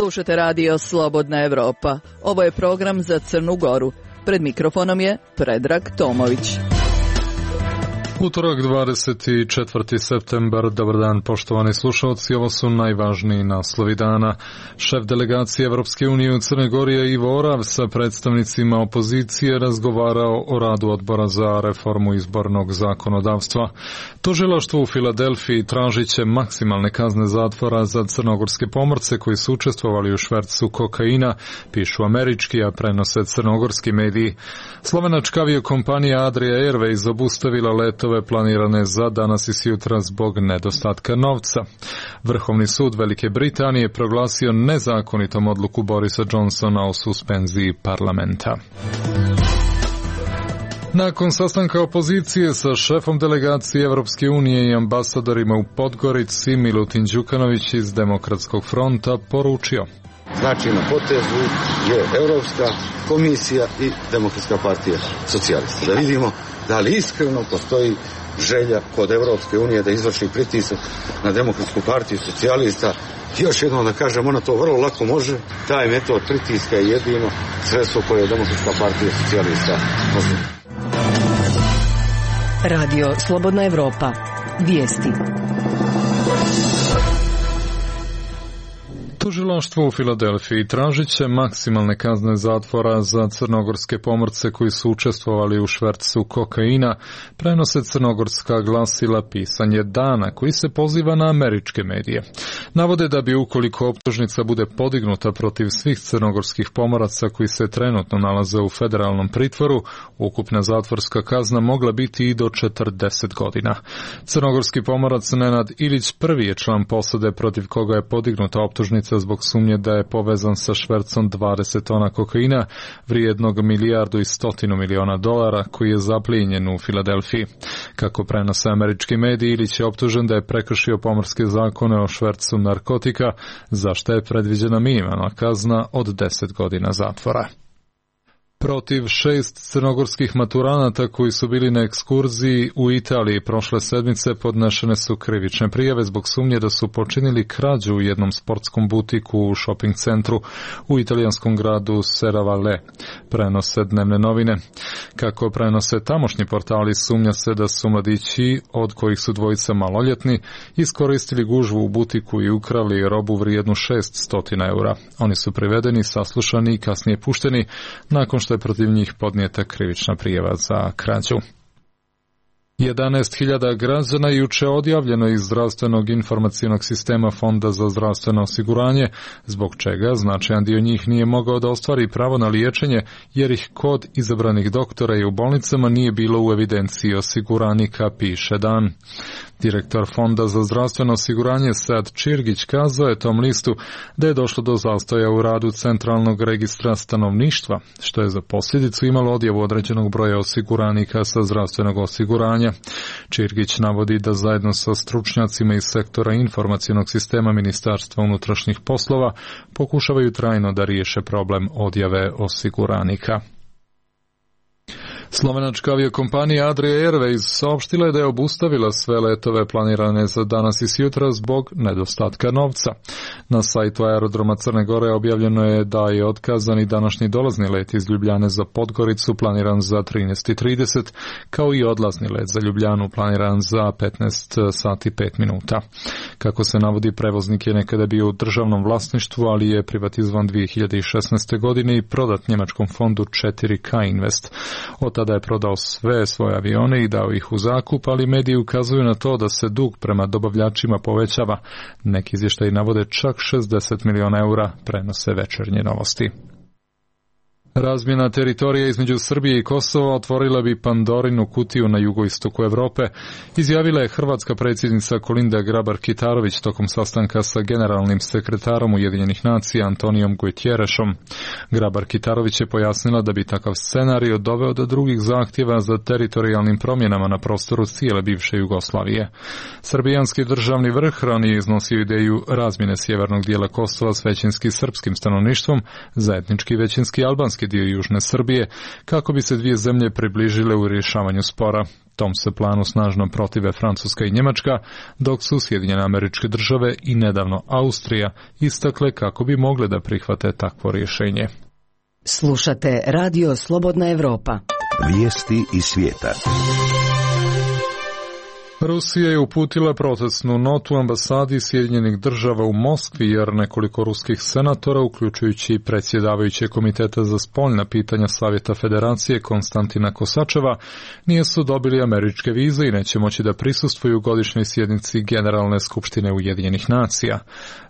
Slušate radio Slobodna Evropa. Ovo je program za Crnu Goru. Pred mikrofonom je Predrag Tomović. Utorak 24. septembar, dobar dan poštovani slušalci, ovo su najvažniji naslovi dana. Šef delegacije Evropske unije u Crnoj Gori Ivo Orav sa predstavnicima opozicije razgovarao o radu odbora za reformu izbornog zakonodavstva. Tužilaštvo u Filadelfiji tražit će maksimalne kazne zatvora za crnogorske pomorce koji su učestvovali u švercu kokaina, pišu američki, a prenose crnogorski mediji. Slovenačka aviokompanija Adria Airways obustavila letove planirane za danas i sutra zbog nedostatka novca. Vrhovni sud Velike Britanije proglasio nezakonitom odluku Borisa Johnsona o suspenziji parlamenta. Nakon sastanka opozicije sa šefom delegacije Evropske unije i ambasadorima u Podgorici, Milutin Đukanović iz Demokratskog fronta poručio: znači na potezu je Europska komisija i Demokratska partija socijalista. Da vidimo da li iskreno postoji želja kod Europske unije da izvrši pritisak na Demokratsku partiju socijalista. Još jednom da kažem, ona to vrlo lako može. Taj metod pritiska je jedino sredstvo koje je Demokratska partija socijalista može. Radio Slobodna Evropa. Vijesti. Tužilaštvo u Filadelfiji tražit će maksimalne kazne zatvora za crnogorske pomorce koji su učestvovali u švercu kokaina, prenose crnogorska glasila Pisanje dana, koji se poziva na američke medije. Navode da bi ukoliko optužnica bude podignuta protiv svih crnogorskih pomoraca koji se trenutno nalaze u federalnom pritvoru, ukupna zatvorska kazna mogla biti i do 40 godina. Crnogorski pomorac Nenad Ilić prvi je član posade protiv koga je podignuta optužnica zbog sumnje da je povezan sa švercom 20 tona kokaina vrijednog $1,1 milijardi koji je zaplijenjen u Filadelfiji. Kako prenose američki mediji, Ilić je optužen da je prekršio pomorske zakone o švercu narkotika, za što je predviđena minimalna kazna od 10 godina zatvora. Protiv 6 crnogorskih maturanata koji su bili na ekskurziji u Italiji prošle sedmice podnešene su krivične prijave zbog sumnje da su počinili krađu u jednom sportskom butiku u shopping centru u italijanskom gradu Serravalle, prenose dnevne novine. Kako prenose tamošnji portali, sumnja se da su mladići, od kojih su dvojica maloljetni, iskoristili gužvu u butiku i ukrali robu vrijednu 600 eura. Oni su privedeni, saslušani i kasnije pušteni nakon što je protiv njih podnijeta krivična prijava za krađu. 11.000 građana juče odjavljeno iz zdravstvenog informacionog sistema Fonda za zdravstveno osiguranje, zbog čega značajan dio njih nije mogao da ostvari pravo na liječenje, jer ih kod izabranih doktora i u bolnicama nije bilo u evidenciji osiguranika, piše Dan. Direktor Fonda za zdravstveno osiguranje Sad Čirgić kazao je tom listu da je došlo do zastoja u radu Centralnog registra stanovništva, što je za posljedicu imalo odjavu određenog broja osiguranika sa zdravstvenog osiguranja. Čirgić navodi da zajedno sa stručnjacima iz sektora informacionog sistema Ministarstva unutrašnjih poslova pokušavaju trajno da riješe problem odjave osiguranika. Slovenačka aviokompanija Adria Airways saopštila je da je obustavila sve letove planirane za danas i sutra zbog nedostatka novca. Na sajtu aerodroma Crne Gore objavljeno je da je otkazan i današnji dolazni let iz Ljubljane za Podgoricu planiran za 13:30, kao i odlazni let za Ljubljanu planiran za 15 sati 5 minuta. Kako se navodi, prevoznik je nekada bio u državnom vlasništvu, ali je privatizovan 2016. godine i prodat njemačkom fondu 4K Invest. Od tada je prodao sve svoje avione i dao ih u zakup, ali mediji ukazuju na to da se dug prema dobavljačima povećava. Neki izvještaji navode čak 60 miliona eura, prenose Večernje novosti. Razmjena teritorija između Srbije i Kosova otvorila bi Pandorinu kutiju na jugoistoku Evrope, izjavila je hrvatska predsjednica Kolinda Grabar-Kitarović tokom sastanka sa generalnim sekretarom Ujedinjenih nacija Antonijom Guterresom. Grabar-Kitarović je pojasnila da bi takav scenario doveo do drugih zahtjeva za teritorijalnim promjenama na prostoru cijele bivše Jugoslavije. Srbijanski državni vrh ranije iznosio ideju razmjene sjevernog dijela Kosova s većinski srpskim stanovništvom za etnički većinski albanski dio južne Srbije, kako bi se dvije zemlje približile u rješavanju spora. Tom se planu snažno protive Francuska i Njemačka, dok su Sjedinjene Američke Države i nedavno Austrija istakle kako bi mogle da prihvate takvo rješenje. Slušate Radio Slobodna Evropa. Vijesti iz svijeta. Rusija je uputila protestnu notu ambasadi Sjedinjenih Država u Moskvi jer nekoliko ruskih senatora, uključujući predsjedavajuće komiteta za spoljna pitanja Savjeta Federacije Konstantina Kosačeva, nisu dobili američke vize i neće moći da prisustvuju godišnjoj sjednici Generalne skupštine Ujedinjenih nacija.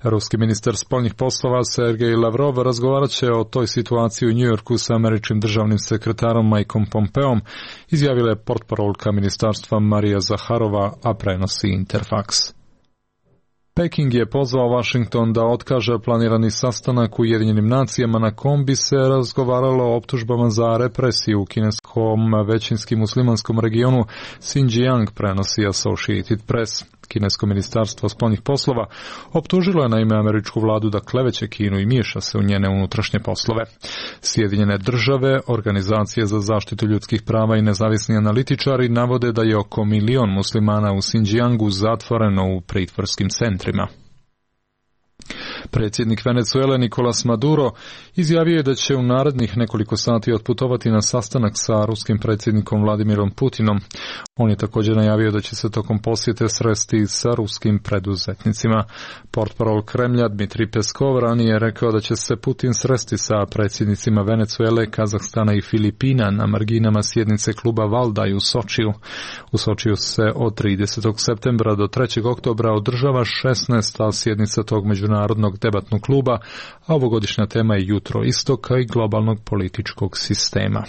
Ruski ministar spoljnih poslova Sergej Lavrov razgovarat će o toj situaciji u Njujorku sa američkim državnim sekretarom Mikeom Pompeom, izjavila je portparolka ministarstva Marija Zaharova, a prenosi Interfax. Peking je pozvao Washington da otkaže planirani sastanak u Ujedinjenim nacijama na kom bi se razgovaralo o optužbama za represiju u kineskom većinskim muslimanskom regionu Xinjiang, prenosi Associated Press. Kinesko ministarstvo spoljnih poslova optužilo je naime američku vladu da kleveće Kinu i miješa se u njene unutrašnje poslove. Sjedinjene Države, organizacije za zaštitu ljudskih prava i nezavisni analitičari navode da je oko 1 milion muslimana u Xinjiangu zatvoreno u pritvorskim centrima. Predsjednik Venezuele Nicolas Maduro izjavio je da će u narednih nekoliko sati otputovati na sastanak sa ruskim predsjednikom Vladimirom Putinom. On je također najavio da će se tokom posjete sresti sa ruskim preduzetnicima. Portparol Kremlja Dmitri Peskov ranije je rekao da će se Putin sresti sa predsjednicima Venezuele, Kazahstana i Filipina na marginama sjednice kluba Valdaj u Sočiju. U Sočiju se od 30. septembra do 3. oktobra održava 16. sjednica tog međunarodnog debatnog kluba, a ovogodišnja tema je jutro istoka i globalnog političkog sistema.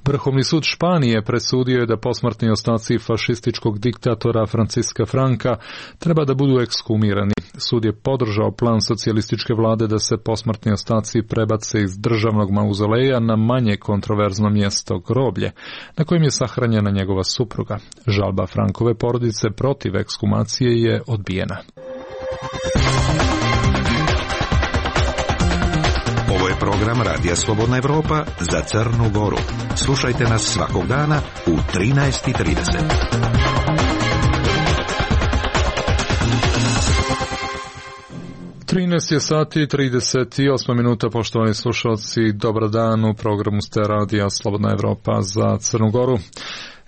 Vrhovni sud Španije presudio je da posmrtni ostaci fašističkog diktatora Franciska Franka treba da budu ekshumirani. Sud je podržao plan socijalističke vlade da se posmrtni ostaci prebace iz državnog mauzoleja na manje kontroverzno mjesto groblje, na kojem je sahranjena njegova supruga. Žalba Frankove porodice protiv ekshumacije je odbijena. Ovo je program Radija Slobodna Evropa za Crnu Goru. Slušajte nas svakog dana u 13:30. Je sati 38 minuta, poštovani slušalci, dobar dan, u programu ste Radija Slobodna Evropa za Crnu Goru.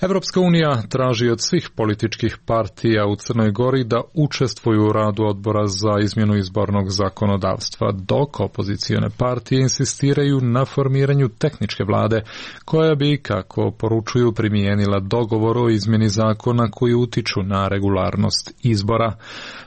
Evropska unija traži od svih političkih partija u Crnoj Gori da učestvuju u radu odbora za izmjenu izbornog zakonodavstva, dok opozicione partije insistiraju na formiranju tehničke vlade, koja bi, kako poručuju, primijenila dogovor o izmjeni zakona koji utiču na regularnost izbora.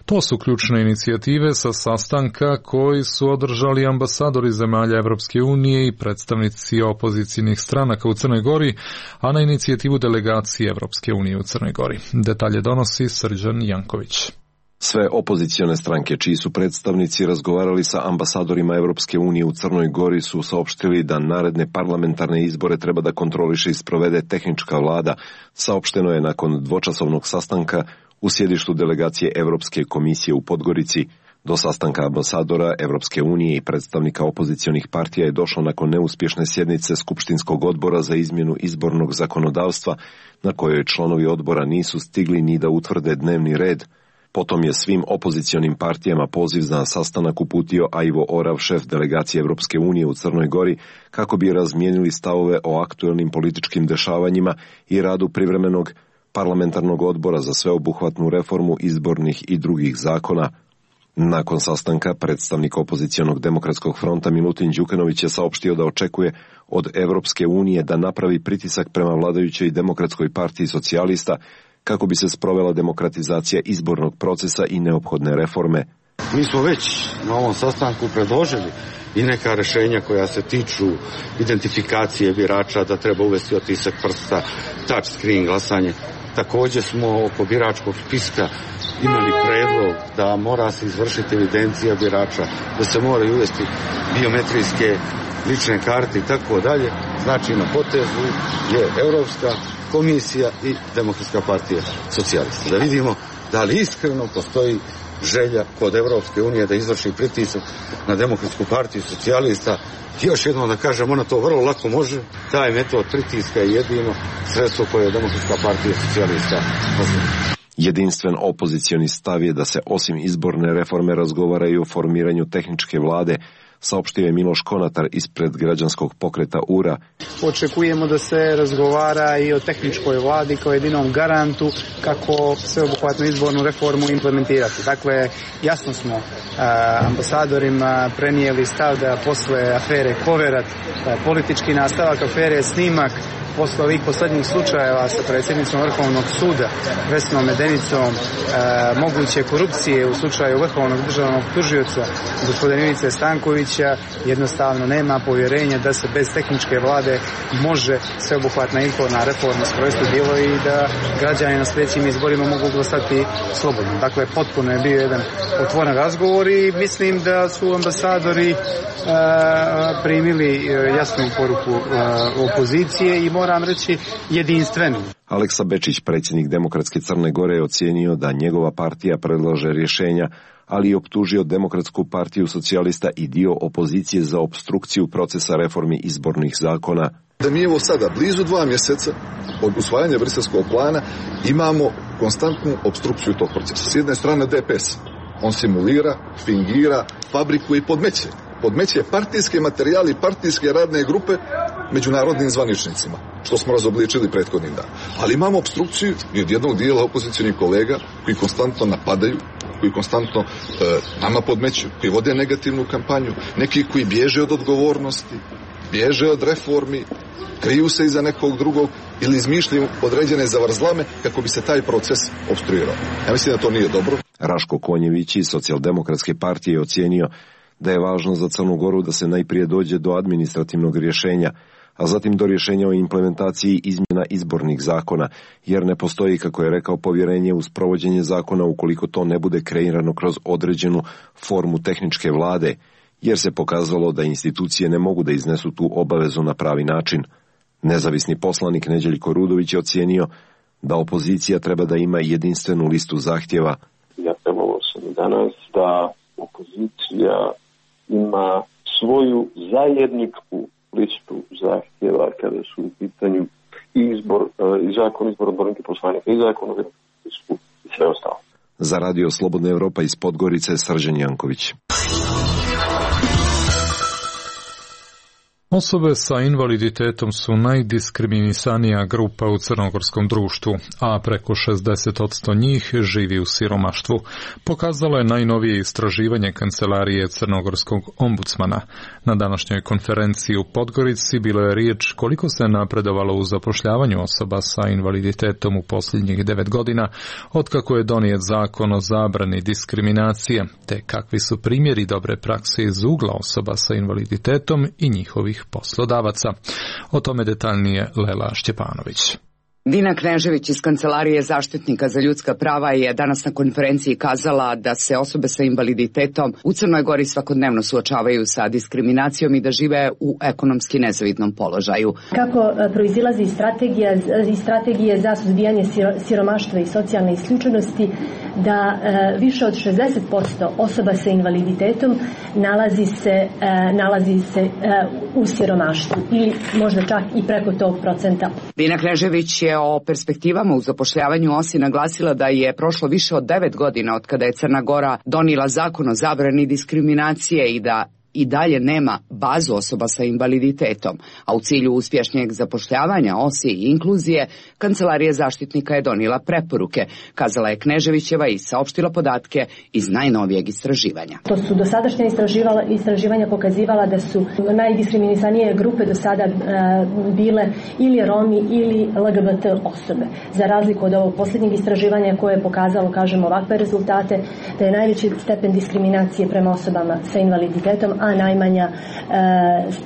To su ključne inicijative sa sastanka koji su održali ambasadori zemalja Evropske unije i predstavnici opozicijnih stranaka u Crnoj Gori, a na inicijativu delegacije Evropske unije u Crnoj Gori. Detalje donosi Srđan Janković. Sve opozicione stranke čiji su predstavnici razgovarali sa ambasadorima Evropske unije u Crnoj Gori su saopštili da naredne parlamentarne izbore treba da kontroliše i sprovede tehnička vlada, saopšteno je nakon dvočasovnog sastanka u sjedištu delegacije Evropske komisije u Podgorici. Do sastanka ambasadora Evropske unije i predstavnika opozicionih partija je došlo nakon neuspješne sjednice Skupštinskog odbora za izmjenu izbornog zakonodavstva, na kojoj članovi odbora nisu stigli ni da utvrde dnevni red. Potom je svim opozicionim partijama poziv za sastanak uputio Ivo Orav, šef delegacije Evropske unije u Crnoj Gori, kako bi razmijenili stavove o aktuelnim političkim dešavanjima i radu privremenog parlamentarnog odbora za sveobuhvatnu reformu izbornih i drugih zakona. Nakon sastanka, predstavnik opozicionog demokratskog fronta Milutin Đukanović je saopštio da očekuje od Evropske unije da napravi pritisak prema vladajućoj demokratskoj partiji socijalista kako bi se sprovela demokratizacija izbornog procesa i neophodne reforme. Mi smo već na ovom sastanku predložili i neka rješenja koja se tiču identifikacije birača, da treba uvesti otisak prsta, touch screen glasanje. Također smo oko biračkog spiska imali predlog da mora se izvršiti evidencija birača, da se moraju uvesti biometrijske lične karte i tako dalje. Znači na potezu je Europska komisija i Demokratska partija socijalista. Da vidimo da li iskreno postoji želja kod Evropske unije da izvrši pritisak na Demokratsku partiju socijalista. Još jednom da kažem, ona to vrlo lako može. Taj metod pritiska je jedino sredstvo koje je Demokratska partija socijalista postavila. Jedinstven opozicioni stav je da se osim izborne reforme razgovara i o formiranju tehničke vlade, saopštio je Miloš Konatar ispred građanskog pokreta URA. Očekujemo da se razgovara i o tehničkoj vladi kao jedinom garantu kako sveobuhvatnu izbornu reformu implementirati. Dakle, jasno smo ambasadorima prenijeli stav da posle afere Koverat, politički nastavak afere Snimak, posle ovih poslednjih slučajeva sa predsjednicom Vrhovnog suda Vesnom Medenicom, moguće korupcije u slučaju Vrhovnog državnog tužioca gospodina Ivice Stankovića, jednostavno nema povjerenja da se bez tehničke vlade može sveobuhvatna izborna reforma sprovesti djelo i da građani na sljedećim izborima mogu glasati slobodno. Dakle, potpuno je bio jedan otvoren razgovor i mislim da su ambasadori primili jasnu poruku opozicije i moram reći jedinstvenu. Aleksa Bečić, predsjednik Demokratske Crne Gore, je ocijenio da njegova partija predlaže rješenja, ali i optužio Demokratsku partiju socijalista i dio opozicije za opstrukciju procesa reformi izbornih zakona. Da mi evo sada, blizu 2 mjeseca od usvajanja briselskog plana, imamo konstantnu opstrukciju tog procesa. S jedne strane DPS, on simulira, fingira, fabrikuje i podmeće partijske materijali, partijske radne grupe međunarodnim zvaničnicima, što smo razobličili prethodnim dan. Ali imamo opstrukciju i od jednog dijela opozicionih kolega koji konstantno napadaju, koji konstantno nama podmeću, koji vode negativnu kampanju, neki koji bježe od odgovornosti, bježe od reformi, kriju se iza nekog drugog ili izmišljaju određene zavrzlame kako bi se taj proces opstruirao. Ja mislim da to nije dobro. Raško Konjević iz Socijaldemokratske partije je ocijenio da je važno za Crnu Goru da se najprije dođe do administrativnog rješenja, a zatim do rješenja o implementaciji izmjena izbornih zakona, jer ne postoji, kako je rekao, povjerenje uz provođenje zakona ukoliko to ne bude kreirano kroz određenu formu tehničke vlade, jer se pokazalo da institucije ne mogu da iznesu tu obavezu na pravi način. Nezavisni poslanik Neđeljko Rudović je ocijenio da opozicija treba da ima jedinstvenu listu zahtjeva. Ja trebalo sam danas da opozicija ima svoju zajedničku listu zahtjeva kada su u pitanju i zakon izbor odbornika poslanika i zakon o demokratsku i sve ostalo. Za Radio Slobodna Evropa iz Podgorice, Srđan Janković. Osobe sa invaliditetom su najdiskriminisanija grupa u crnogorskom društvu, a preko 60% njih živi u siromaštvu. Pokazalo je najnovije istraživanje Kancelarije crnogorskog ombudsmana. Na današnjoj konferenciji u Podgorici bilo je riječ koliko se napredovalo u zapošljavanju osoba sa invaliditetom u posljednjih 9 godina, otkako je donijet zakon o zabrani diskriminacije, te kakvi su primjeri dobre prakse iz ugla osoba sa invaliditetom i njihovih poslodavaca. O tome detaljnije Lela Šćepanović. Dina Knežević iz Kancelarije zaštitnika za ljudska prava je danas na konferenciji kazala da se osobe sa invaliditetom u Crnoj Gori svakodnevno suočavaju sa diskriminacijom i da žive u ekonomski nezavidnom položaju. Kako proizilazi iz strategije za suzbijanje siromaštva i socijalne isključenosti, da više od 60% osoba sa invaliditetom nalazi se u siromaštvu ili možda čak i preko tog procenta. Dina Knežević je o perspektivama u zapošljavanju OSI naglasila da je prošlo više od 9 godina od kada je Crna Gora donijela zakon o zabrani diskriminacije i da i dalje nema bazu osoba sa invaliditetom, a u cilju uspješnijeg zapošljavanja OSI i inkluzije, Kancelarija zaštitnika je donijela preporuke, kazala je Kneževićeva i saopštila podatke iz najnovijeg istraživanja. To su dosadašnja istraživanja pokazivala da su najdiskriminisanije grupe do sada bile ili Romi ili LGBT osobe. Za razliku od ovog posljednjeg istraživanja koje je pokazalo, kažemo, ovakve rezultate, da je najveći stepen diskriminacije prema osobama sa invaliditetom, a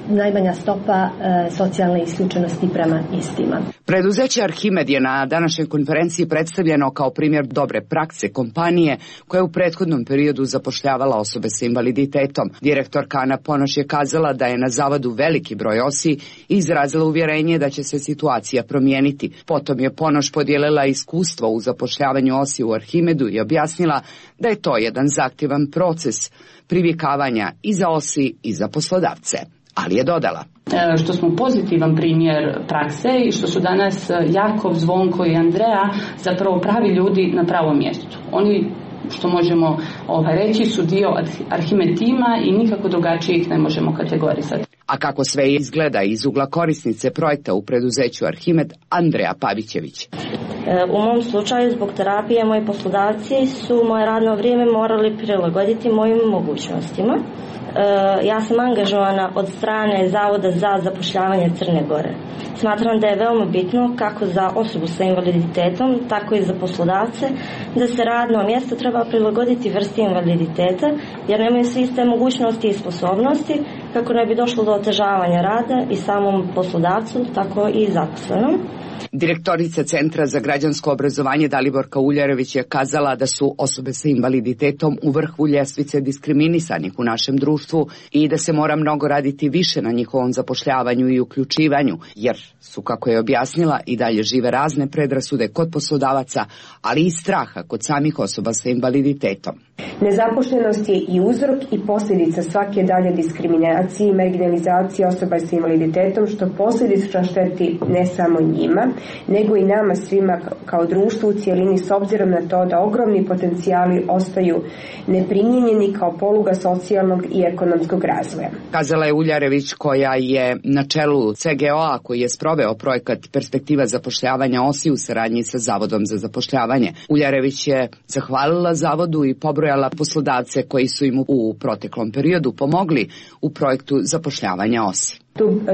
najmanja stopa socijalne isključenosti prema istima. Preduzeće Arhimed je na današnjoj konferenciji predstavljeno kao primjer dobre prakse kompanije koja je u prethodnom periodu zapošljavala osobe sa invaliditetom. Direktorka Ana Ponoš je kazala da je na zavodu veliki broj OSI i izrazila uvjerenje da će se situacija promijeniti. Potom je Ponoš podijelila iskustvo u zapošljavanju OSI u Arhimedu i objasnila da je to jedan zahtjevan proces privikavanja i za OSI i za poslodavce. Ali je dodala: što smo pozitivan primjer prakse i što su danas Jakov, Zvonko i Andreja zapravo pravi ljudi na pravom mjestu. Oni, što možemo reći, su dio Arhimed tima i nikako drugačije ih ne možemo kategorizati. A kako sve izgleda iz ugla korisnice projekta u preduzeću Arhimed, Andreja Pavićević. U mom slučaju, zbog terapije, moji poslodavci su moje radno vrijeme morali prilagoditi mojim mogućnostima. Ja sam angažovana od strane Zavoda za zapošljavanje Crne Gore. Smatram da je veoma bitno kako za osobu sa invaliditetom, tako i za poslodavce, da se radno mjesto treba prilagoditi vrsti invaliditeta, jer nemaju svi iste mogućnosti i sposobnosti, kako ne bi došlo do otežavanja rada i samom poslodavcu, tako i zaposlenom. Direktorica Centra za građansko obrazovanje Daliborka Uljarević je kazala da su osobe sa invaliditetom u vrhu ljestvice diskriminisanih u našem društvu i da se mora mnogo raditi više na njihovom zapošljavanju i uključivanju, jer su, kako je objasnila, i dalje žive razne predrasude kod poslodavaca, ali i straha kod samih osoba sa invaliditetom. Nezaposlenost je i uzrok i posljedica svake dalje diskriminacije i marginalizacije osoba sa invaliditetom, što posljedično šteti ne samo njima, nego i nama svima kao društvu u cijelini, s obzirom na to da ogromni potencijali ostaju neprimjenjeni kao poluga socijalnog i ekonomskog razvoja. Kazala je Uljarević, koja je na čelu CGO-a koji je sproveo projekat Perspektiva zapošljavanja OSI u saradnji sa Zavodom za zapošljavanje. Uljarević je zahvalila Zavodu i pobrojala poslodavce koji su im u proteklom periodu pomogli u projektu zapošljavanja OSI.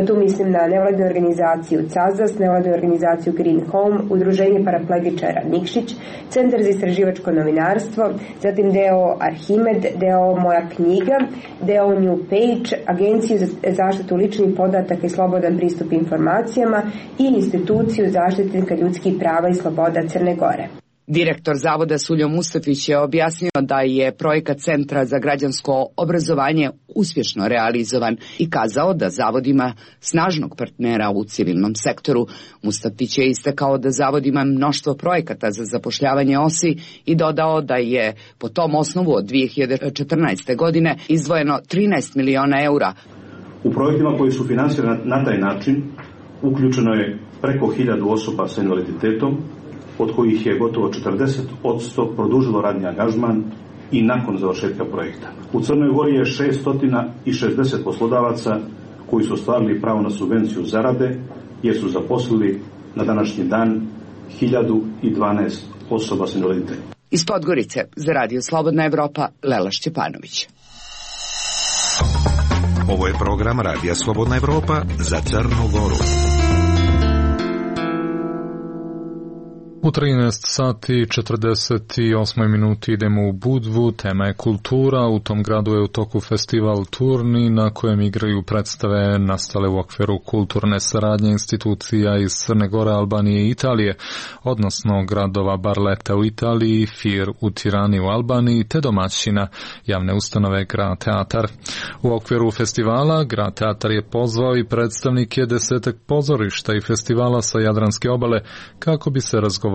Tu mislim na nevladinu organizaciju CAZAS, nevladinu organizaciju Green Home, Udruženje paraplegičara Nikšić, Centar za istraživačko novinarstvo, zatim deo Arhimed, deo Moja knjiga, deo New Page, Agenciju za zaštitu ličnih podataka i slobodan pristup informacijama i Instituciju zaštitnika ljudskih prava i sloboda Crne Gore. Direktor Zavoda Suljo Mustafić je objasnio da je projekat Centra za građansko obrazovanje uspješno realizovan i kazao da Zavod ima snažnog partnera u civilnom sektoru. Mustafić je istakao da Zavod ima mnoštvo projekata za zapošljavanje OSI i dodao da je po tom osnovu od 2014. godine izdvojeno 13 miliona eura. U projektima koji su finansirani na taj način uključeno je preko 1000 osoba sa invaliditetom, od kojih je gotovo 40% produžilo radni angažman i nakon završetka projekta. U Crnoj Gori je 660 poslodavaca koji su ostvarili pravo na subvenciju zarade, jer su zaposlili na današnji dan 1012 osoba s invaliditetom. Iz Podgorice za Radio Slobodna Evropa, Lela Šćepanović. Ovo je program Radija Slobodna Evropa za Crnu Goru. U 13 sati 48 minuti idemo u Budvu, tema je kultura, u tom gradu je u toku festival Turni na kojem igraju predstave nastale u okviru kulturne saradnje institucija iz Crne Gore, Albanije i Italije, odnosno gradova Barletta u Italiji, Fir u Tirani u Albaniji, te domaćina javne ustanove Grad Teatar. U okviru festivala Grad Teatar je pozvao i predstavnike 10 pozorišta i festivala sa Jadranske obale kako bi se razgovaralo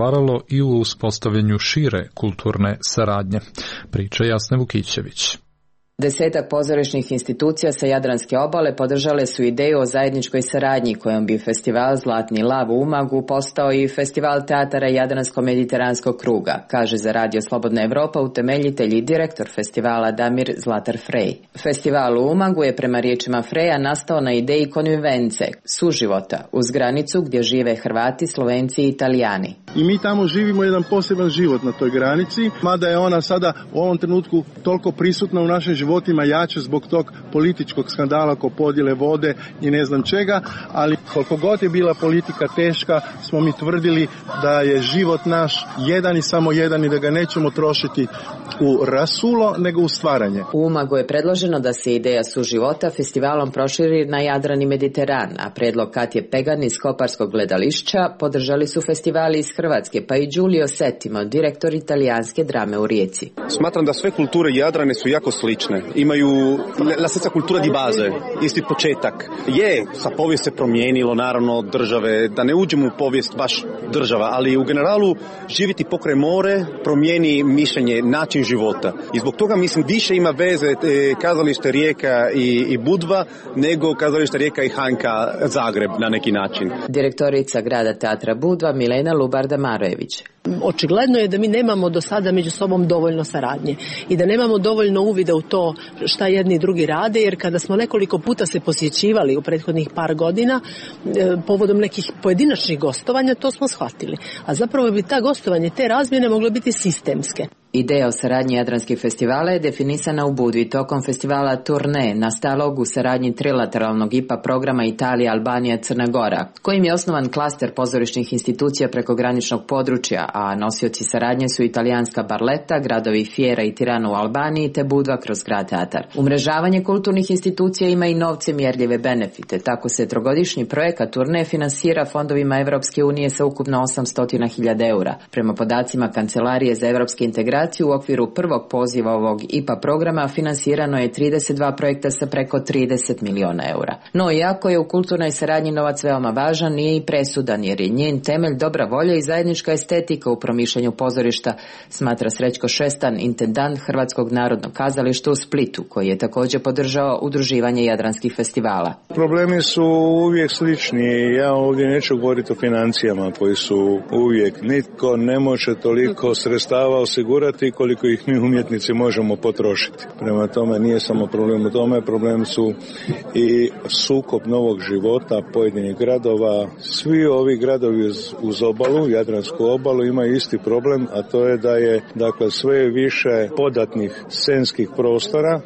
i u uspostavljanju šire kulturne saradnje. Priča Jasne Vukićević. 10 pozorišnih institucija sa Jadranske obale podržale su ideju o zajedničkoj saradnji kojom bi festival Zlatni lav u Umagu postao i festival teatara Jadransko-mediteranskog kruga, kaže za Radio Slobodna Evropa utemeljitelj i direktor festivala Damir Zlatar Frej. Festival u Umagu je prema riječima Freja nastao na ideji konvivence, suživota, uz granicu gdje žive Hrvati, Slovenci i Italijani. I mi tamo živimo jedan poseban život na toj granici, mada je ona sada u ovom trenutku toliko prisutna u našem životu životima jače zbog tog političkog skandala oko podjele vode i ne znam čega, ali koliko god je bila politika teška, smo mi tvrdili da je život naš jedan i samo jedan i da ga nećemo trošiti u rasulo, nego u stvaranje. U Umagu je predloženo da se ideja suživota festivalom proširi na Jadran i Mediteran, a predlog Katje Pegan iz Koparskog gledališća podržali su festivali iz Hrvatske, pa i Giulio Settimo, direktor italijanske drame u Rijeci. Smatram da sve kulture Jadrane su jako slične. Imaju la stessa cultura di base, isti početak. Sa povijest se promijenilo, naravno, države, da ne uđemo u povijest baš država, ali u generalu živjeti pokraj more promijeni mišljenje, način života. I zbog toga, mislim, više ima veze kazalište Rijeka i Budva nego kazalište Rijeka i Hanka Zagreb na neki način. Direktorica grada teatra Budva Milena Lubarda-Marojević. Očigledno je da mi nemamo do sada među sobom dovoljno saradnje i da nemamo dovoljno uvida u to šta jedni i drugi rade, jer kada smo nekoliko puta se posjećivali u prethodnih par godina povodom nekih pojedinačnih gostovanja, to smo shvatili. A zapravo bi ta gostovanje, te razmjene mogle biti sistemske. Ideja o saradnji jadranskih festivala je definisana u Budvi tokom festivala Turne, nastalog u saradnji trilateralnog IPA programa Italija, Albanija, Crna Gora, kojim je osnovan klaster pozorišnih institucija preko graničnog područja, a nosioci saradnje su italijanska Barletta, gradovi Fiera i Tirana u Albaniji te Budva kroz grad teatar. Umrežavanje kulturnih institucija ima i novce mjerljive benefite, tako se trogodišnji projekat Turne finansira fondovima Evropske unije sa ukupno 800.000 eura. Prema podacima Kancelarije za evropske integracije, u okviru prvog poziva ovog IPA programa finansirano je 32 projekta sa preko 30 miliona eura. No, iako je u kulturnoj saradnji novac veoma važan, nije i presudan, jer je njen temelj dobra volja i zajednička estetika u promišljanju pozorišta, smatra Srećko Šestan, intendant Hrvatskog narodnog kazališta u Splitu, koji je također podržao udruživanje jadranskih festivala. Problemi su uvijek slični. Ja ovdje neću govoriti o financijama koji su uvijek. Nitko ne može toliko sredstava osigurati koliko ih mi umjetnici možemo potrošiti. Prema tome nije samo problem u tome, problem su i sukob novog života pojedinih gradova. Svi ovi gradovi uz obalu, Jadransku obalu, imaju isti problem, a to je da je sve više podatnih scenskih prostora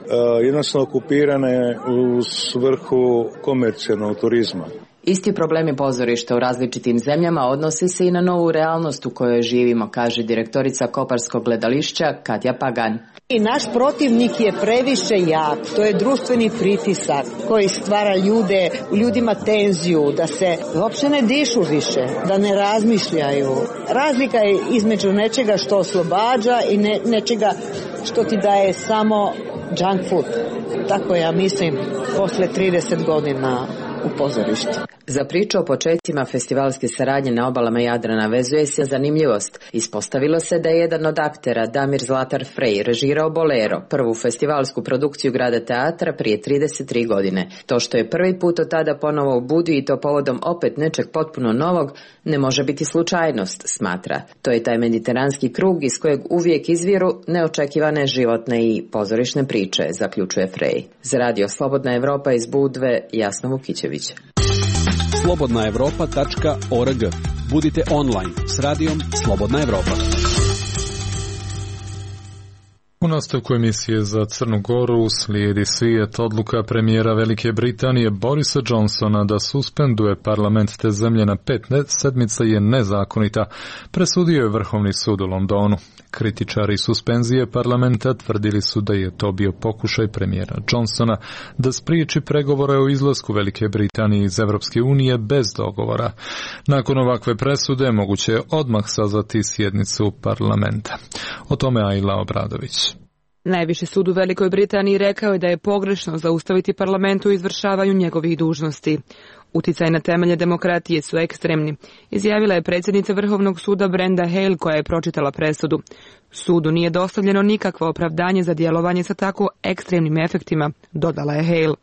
jednostavno okupirane u svrhu komercijalnog turizma. Isti problemi pozorišta u različitim zemljama odnose se i na novu realnost u kojoj živimo, kaže direktorica Koparskog gledališća Katja Pagan. I naš protivnik je previše jak, to je društveni pritisak koji stvara u ljudima tenziju, da se uopće ne dišu više, da ne razmišljaju. Razlika je između nečega što oslobađa i nečega što ti daje samo junk food. Tako ja mislim posle 30 godina u pozorištu. Za priču o početcima festivalske saradnje na obalama Jadrana vezuje se zanimljivost. Ispostavilo se da je jedan od aktera, Damir Zlatar Frej, režirao Bolero, prvu festivalsku produkciju grada teatra prije 33 godine. To što je prvi put od tada ponovo u Budvi i to povodom opet nečeg potpuno novog, ne može biti slučajnost, smatra. To je taj mediteranski krug iz kojeg uvijek izviru neočekivane životne i pozorišne priče, zaključuje Frej. Za Radio Slobodna Evropa iz Budve, Jasna Vukićević. slobodnaevropa.org. Budite online s radijom Slobodna Evropa. U nastavku emisije za Crnu Goru slijedi svijet. Odluka premijera Velike Britanije Borisa Johnsona da suspenduje parlament te zemlje na 5 sedmica je nezakonita, presudio je Vrhovni sud u Londonu. Kritičari suspenzije parlamenta tvrdili su da je to bio pokušaj premijera Johnsona da spriječi pregovore o izlasku Velike Britanije iz Evropske unije bez dogovora. Nakon ovakve presude moguće je odmah sazvati sjednicu parlamenta. O tome Ajla Obradović. Najviši sud u Velikoj Britaniji rekao je da je pogrešno zaustaviti parlament u izvršavanju njegovih dužnosti. Uticaj na temelje demokratije su ekstremni, izjavila je predsjednica Vrhovnog suda Brenda Hale koja je pročitala presudu. Sudu nije dostavljeno nikakvo opravdanje za djelovanje sa tako ekstremnim efektima, dodala je Hale.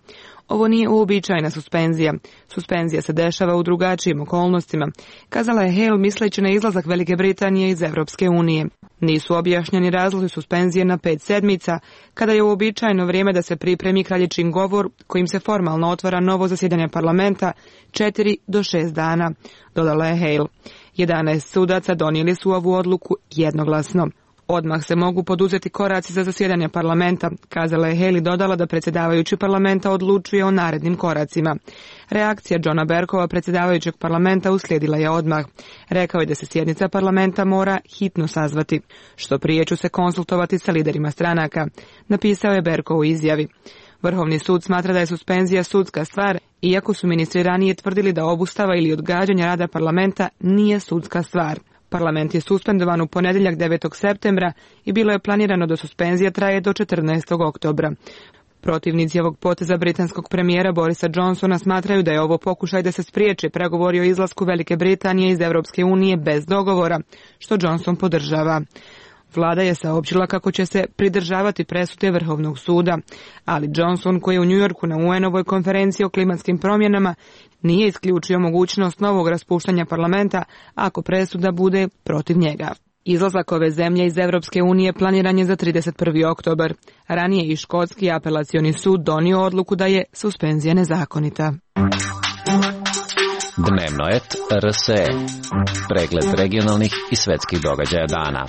Ovo nije uobičajena suspenzija. Suspenzija se dešava u drugačijim okolnostima, kazala je Hale misleći na izlazak Velike Britanije iz Evropske unije. Nisu objašnjeni razlozi suspenzije na 5 sedmica, kada je uobičajeno vrijeme da se pripremi kraljičin govor kojim se formalno otvara novo zasjedanje parlamenta 4 do 6 dana, dodala je Hale. 11 sudaca donijeli su ovu odluku jednoglasno. Odmah se mogu poduzeti koraci za zasjedanje parlamenta, kazala je Haley, dodala da predsjedavajući parlamenta odlučuje o narednim koracima. Reakcija Johna Berkova, predsjedavajućeg parlamenta, uslijedila je odmah. Rekao je da se sjednica parlamenta mora hitno sazvati. Što prije ću se konsultovati sa liderima stranaka, napisao je Berkov u izjavi. Vrhovni sud smatra da je suspenzija sudska stvar, iako su ministri ranije tvrdili da obustava ili odgađanje rada parlamenta nije sudska stvar. Parlament je suspendovan u ponedjeljak 9. septembra i bilo je planirano da suspenzija traje do 14. oktobra. Protivnici ovog poteza britanskog premijera Borisa Johnsona smatraju da je ovo pokušaj da se spriječi pregovori o izlasku Velike Britanije iz Europske unije bez dogovora, što Johnson podržava. Vlada je saopćila kako će se pridržavati presude Vrhovnog suda, ali Johnson, koji je u Njujorku na UN-ovoj konferenciji o klimatskim promjenama, nije isključio mogućnost novog raspuštanja parlamenta ako presuda bude protiv njega. Izlazak ove zemlje iz Europske unije planiran je za 31. oktobar. Ranije i škotski apelacioni sud donio odluku da je suspenzija nezakonita. Dnevno et RSE. Pregled regionalnih i svetskih događaja dana.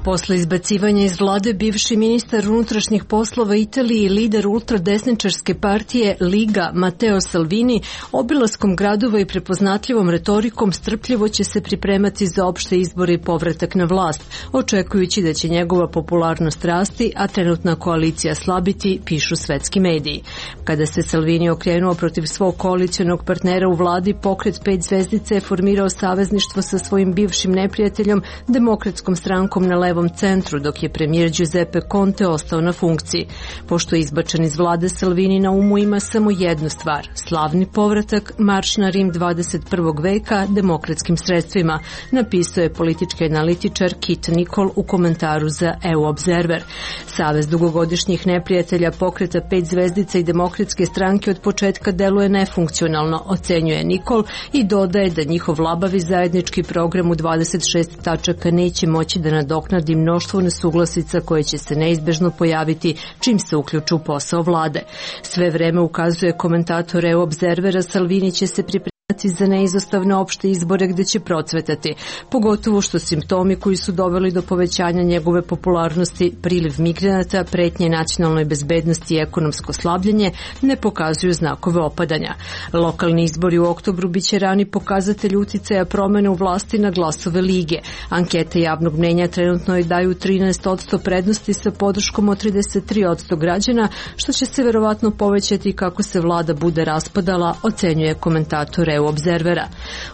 Posle izbacivanja iz vlade, bivši ministar unutrašnjih poslova Italije i lider ultradesničarske partije Liga Matteo Salvini obilaskom gradova i prepoznatljivom retorikom strpljivo će se pripremati za opšte izbore i povratak na vlast, očekujući da će njegova popularnost rasti, a trenutna koalicija slabiti, pišu svetski mediji. Kada se Salvini okrenuo protiv svog koalicionog partnera u vladi, pokret 5 zvezdica je formirao savezništvo sa svojim bivšim neprijateljom, Demokratskom strankom na levom centru, dok je premijer Giuseppe Conte ostao na funkciji. Pošto je izbačen iz vlade, Salvini na umu ima samo jednu stvar: slavni povratak, marš na Rim 21. veka demokratskim sredstvima, napisao je politički analitičar Kit Nicol u komentaru za EU Observer. Savez dugogodišnjih neprijatelja pokreta 5 zvezdica i Demokratske stranke od početka deluje nefunkcionalno, ocenjuje Nicol, i dodaje da njihov labavi zajednički program u 26 tačaka neće moći da nadoknadi mnoštvo nesuglasica koje će se neizbežno pojaviti čim se uključu u posao vlade. Sve vreme, ukazuje komentator EU Observera, Salvini će se pripremiti za neizostavne opšte izbore gde će procvetati, pogotovo što simptomi koji su doveli do povećanja njegove popularnosti, priliv migranata, pretnje nacionalnoj bezbednosti i ekonomsko slabljenje, ne pokazuju znakove opadanja. Lokalni izbori u oktobru biće rani pokazatelj uticaja promene u vlasti na glasove Lige. Ankete javnog mnjenja trenutno je daju 13% prednosti sa podrškom od 33% građana, što će se verovatno povećati kako se vlada bude raspadala, ocenjuje komentator EU Observera.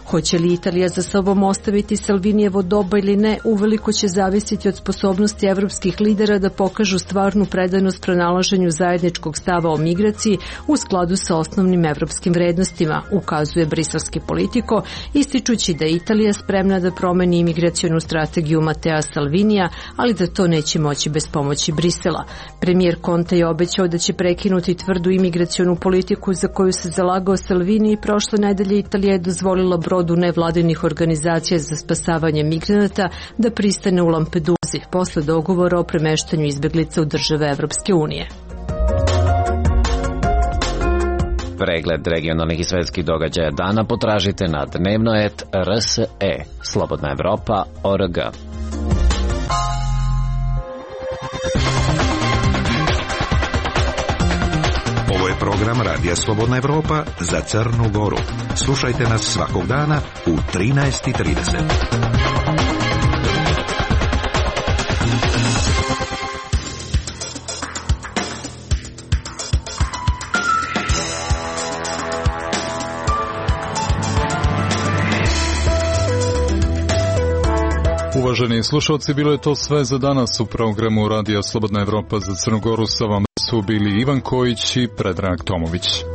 Hoće li Italija za sobom ostaviti Salvinijevo doba ili ne, uveliko će zavisiti od sposobnosti evropskih lidera da pokažu stvarnu predanost pronalaženju zajedničkog stava o migraciji u skladu sa osnovnim evropskim vrednostima, ukazuje briselski Politico, ističući da je Italija spremna da promeni imigracionu strategiju Mattea Salvinija, ali da to neće moći bez pomoći Brisela. Premijer Conte je obećao da će prekinuti tvrdu imigracionu politiku za koju se zalagao Salvini i prošle nedelje Italija je dozvolila brodu nevladinih organizacija za spasavanje migranata da pristane u Lampeduzi posle dogovora o premeštanju izbeglica u države Evropske unije. Pregled regionalnih i svetskih događaja dana potražite na dnevno.rs.e. Slobodna Evropa.org. Ovo je program Radija Slobodna Evropa za Crnu Goru. Slušajte nas svakog dana u 13:30. Uvaženi slušalci, bilo je to sve za danas u programu Radija Slobodna Evropa za Crnu Goru. Sa vama su bili Ivan Kojić i Predrag Tomović.